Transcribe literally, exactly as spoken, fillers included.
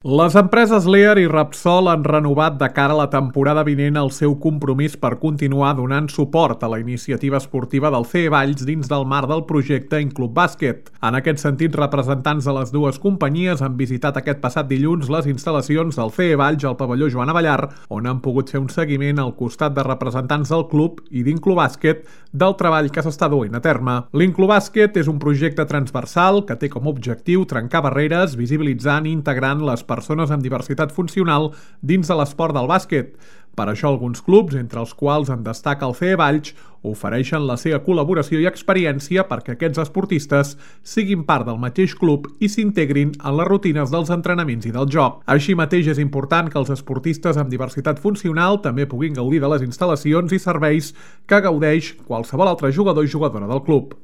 Les empreses Lear i Repsol han renovat de cara a la temporada vinent el seu compromís per continuar donant suport a la iniciativa esportiva del C E Valls dins del marc del projecte Inclub Bàsquet. En aquest sentit, representants de les dues companyies han visitat aquest passat dilluns les instal·lacions del C E Valls al pavelló Joan Abellar, on han pogut fer un seguiment al costat de representants del club i d'Inclub Bàsquet del treball que s'està duent a terme. L'Inclub Bàsquet és un projecte transversal que té com a objectiu trencar barreres, visibilitzant i integrant les persones amb diversitat funcional dins de l'esport del bàsquet. Per això alguns clubs, entre els quals en destaca el C E Valls, ofereixen la seva col·laboració i experiència perquè aquests esportistes siguin part del mateix club i s'integrin en les rutines dels entrenaments i del joc. Així mateix és important que els esportistes amb diversitat funcional també puguin gaudir de les instal·lacions i serveis que gaudeix qualsevol altre jugador i jugadora del club.